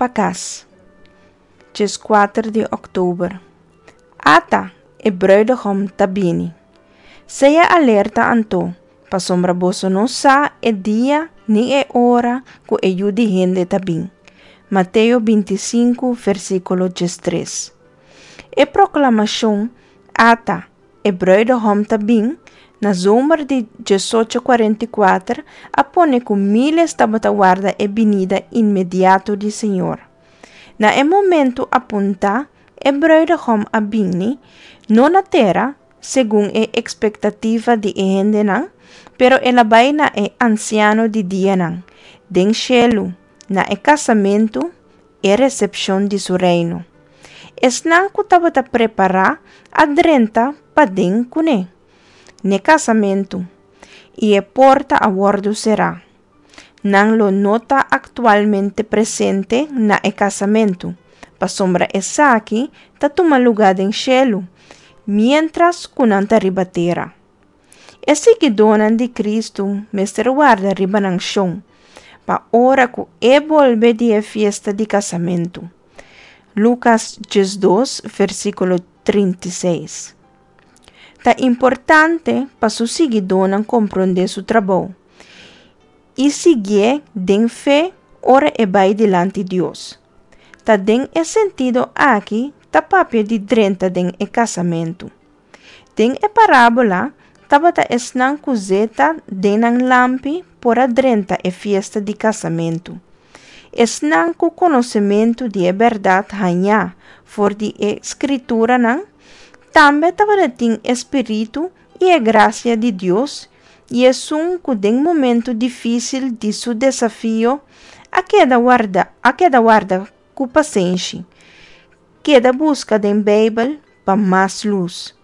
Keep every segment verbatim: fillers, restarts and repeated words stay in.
pa kas. Dieskuater di òktober. Ata, e brùidehòm ta bini. Sea alerta anto, pasobra boso no sa e dia ni e ora ku e Yu di hende ta bin. Mateo bintisinku, versíkulo diestres. E proklamashon "Ata, e brùidehòm ta bin" na zomer di diesocho kuarenta i kuater a pone ku míles tabata warda e binida inmediato di Señor. Na e momento apuntá, e brùidehòm a bini, no na tera, segun e ekspektativa di e hendenan, pero el a bai na e Ansiano di Dianan, den shelu, na e kasamentu, e resepshon di su reino. Esnan ku tabata prepará a drenta paden kuné, n'e kasamentu, i e porta a wòrdu será. Nan lo no ta aktualmente presente na e kasamentu, pasobra esaki ta tuma lugá den shelu, miéntras ku nan ta riba tera. E siguidónan di Kristu mester warda riba nan shon, pa ora ku e bolbe di e fiesta di kasamentu. Lukas diesdos, versíkulo trinta i seis. Ta importante pa su siguidónan komprondé su trabou i siguié den fe ora e bai dilanti Dios. Ta den e sentido aki ta papia di drenta den e kasamentu. Den e parábola tabata esnan ku zeta den nan lampi por a drenta e fiesta di kasamentu. Esnan ku konosementu di e bèrdat hañá for di e Skrituranan tambe tabatin e Spiritu i e grasia di Dios, i esun ku den momento difísil di su desafio a keda warda, a keda warda ku pasenshi, keda buska den Beibel pa mas lus,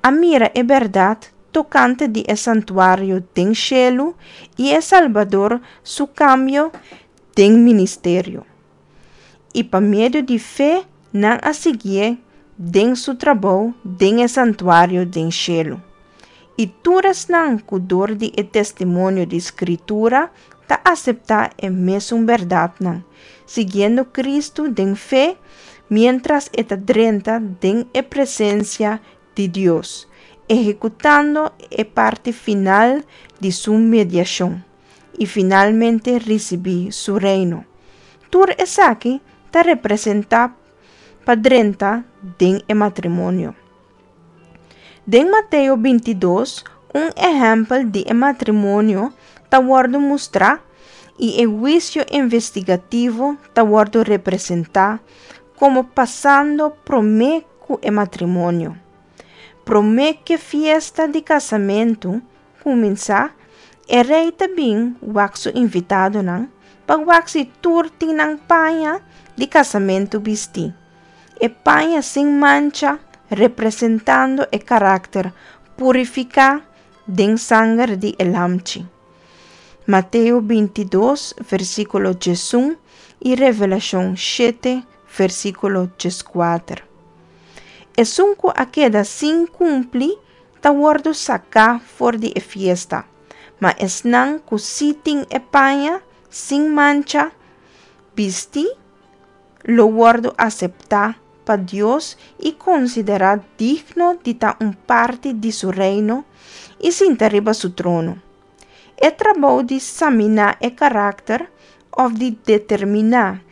a mira e bèrdat tokante di e santuario den shelu i e Salbador su kambio den ministerio. I pa medio di fe nan a siguié den su trabou den e santuario den shelu. I tur esnan ku dor di e testimonio di Skritura ta aseptá e mesun bèrdatnan, siguiendo Kristu den fe miéntras e ta drenta den e presensia di Dios, ehekutando e parti final di su mediashon, i finalmente risibí su reino. Tur esaki ta representá pa drenta den e matrimonio. Den Mateo bintidos, un ehèmpel di e matrimonio ta wòrdu mustrá i e huisio investigativo ta wòrdu representá komo pasando promé ku e matrimonio. Promé ku e fiesta di kasamentu kuminsá, e rei ta bin wak su invitadonan pa wak si tur tin nan paña di kasamentu bistí. E paña sin mancha, representando e karakter purifiká den sanger di e Lamchi. Mateo bintidos, versíkulo diesun i Revelashon shete, versíkulo dieskuater. Esun ku a keda sin kumpli ta wòrdu saká for di e fiesta, ma esnan ku sí tin e paña sin mancha bistí lo wòrdu aseptá pa Dios i konsiderá digno di ta un parti di su reino i sinta riba su trono. E trabou di saminá e karakter òf di determiná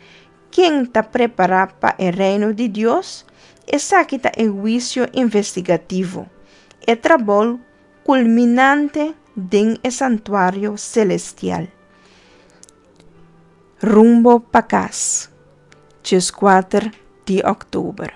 ken ta prepará pa e reino di Dios, esaki ta e huisio investigativo, e trabou kulminante den e santuario selestial. Rumbo pa kas, dieskuater di òktober.